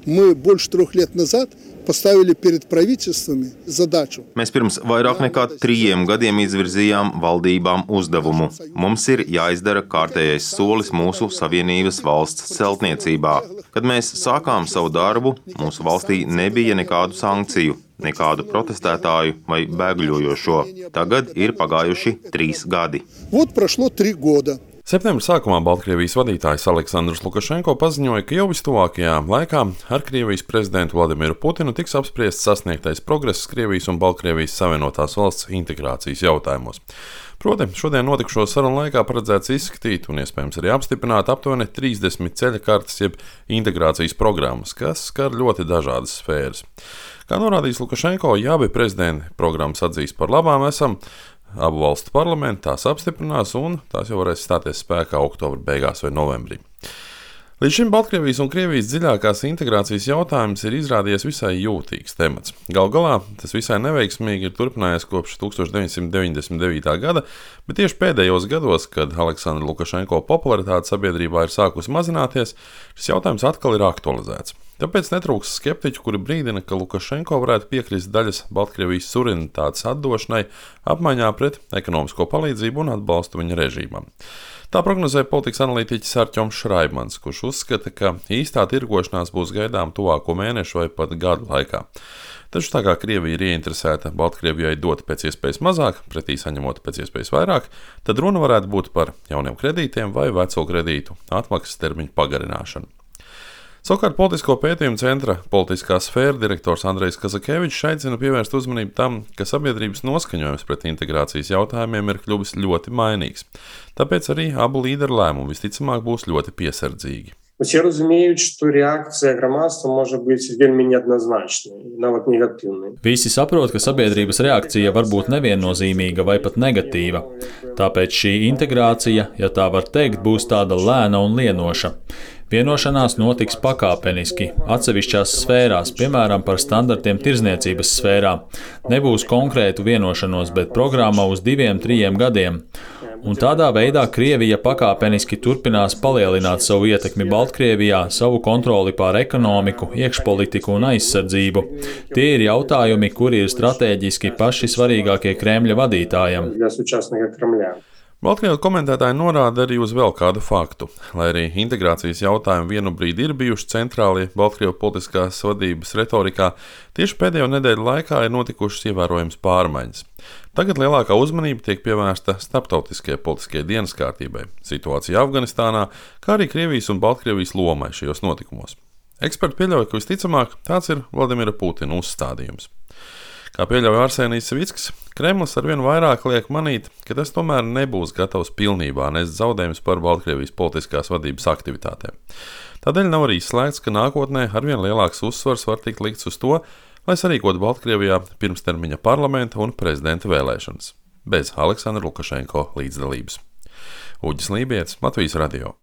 Мы больше 3 лет назад поставили перед правительствами задачу. Mēs pirms vairāk nekā 3 gadiem izvirzījām valdībām uzdevumu. Mums ir jāizdara kārtējais solis mūsu Savienības valsts celtniecībā. Kad mēs sākām savu darbu, mūsu valstī nebija nekādu sankciju, nekādu protestētāju vai bēgļojošo. Tagad ir pagājuši 3 gadi. Вот прошло 3 года. Septembra sākumā Baltkrievijas vadītājs Aleksandrs Lukašenko paziņoja, ka jau vistuvākajā laikā ar Krievijas prezidentu Vladimiru Putinu tiks apspriests sasniegtais progress Krievijas un Baltkrievijas Savienotās valsts integrācijas jautājumos. Proti, šodien notikušo sarunu laikā paredzēts izskatīt un iespējams arī apstiprināt aptuveni 30 ceļa kartes jeb integrācijas programmas, kas skar ļoti dažādas sfēras. Kā norādījis Lukašenko, ja abi prezidenti programmas atzīst par labām esam, abu valstu parlamenti tās apstiprinās un tās jau varēs stāties spēkā oktobra beigās vai novembrī. Līdz šim Baltkrievijas un Krievijas dziļākās integrācijas jautājums ir izrādījies visai jūtīgs temats. Galu galā tas visai neveiksmīgi ir turpinājies kopš 1999. gada, bet tieši pēdējos gados, kad Aleksandra Lukašenko popularitāte sabiedrībā ir sākusi mazināties, šis jautājums atkal ir aktualizēts. Tāpēc netrūks skeptiķu, kuri brīdina, ka Lukašenko varētu piekrist daļas Baltkrievijas suverenitātes atdošanai apmaiņā pret ekonomisko palīdzību un atbalstu viņa režīmam. Tā prognozē politikas analītiķis Artjoms Šraibmans, kurš uzskata, ka īstā tirgošanās būs gaidām tuvāko mēnešu vai pat gadu laikā. Taču tā kā Krievija ir ieinteresēta Baltkrievijai dot pēc iespējas mazāk, pretī saņemot pēc iespējas vairāk, tad runa varētu būt par jauniem kredītiem vai veco kredītu atmaksas termiņu pagarināšanu. Savukārt politisko pētījumu centra politiskā sfēra direktors Andrejs Kazakevičs aicina pievērst uzmanību tam, ka sabiedrības noskaņojums pret integrācijas jautājumiem ir kļuvis ļoti mainīgs. Tāpēc arī abu līderu lēmumi visticamāk būs ļoti piesardzīgi. Усі розуміють, що реакція громадства може бути вельми неоднозначною, навіть негативною. Visi saprot, ka sabiedrības reakcija var būt neviennozīmīga vai pat negatīva. Tāpēc šī integrācija, ja tā var teikt, būs tāda lēna un lienoša. Vienošanās notiks pakāpeniski, atsevišķās sfērās, piemēram, par standartiem tirdzniecības sfērā. Nebūs konkrētu vienošanos, bet programma uz 2-3 gadiem. Un tādā veidā Krievija pakāpeniski turpinās palielināt savu ietekmi Baltkrievijā, savu kontroli pār ekonomiku, iekšpolitiku un aizsardzību. Tie ir jautājumi, kuri ir stratēģiski paši svarīgākie Kremļa vadītājam. Baltkrievu komentētāji norāda arī uz vēl kādu faktu. Lai arī integrācijas jautājumi vienu brīdi ir bijuši centrāli Baltkrievu politiskās vadības retorikā, tieši pēdējo nedēļu laikā ir notikušas ievērojams pārmaiņas. Tagad lielākā uzmanība tiek pievērsta starptautiskajai politiskajai dienas kārtībai, situācija Afganistānā, kā arī Krievijas un Baltkrievijas lomai šajos notikumos. Eksperti pieļauj, ka visticamāk tāds ir Vladimira Putina uzstādījums. Kā pieļauj Arsenijs Savickis, Kremlis arvien vairāk liek manīt, ka tas tomēr nebūs gatavs pilnībā nest zaudējumus par Baltkrievijas politiskās vadības aktivitātēm. Tādēļ nav arī izslēgts, ka nākotnē arvien lielāks uzsvars var tikt likts uz to, lai sarīkotu Baltkrievijā pirmstermiņa parlamenta un prezidenta vēlēšanas, bez Aleksandra Lukašenko līdzdalības. Uģis Lībijets, Latvijas radio.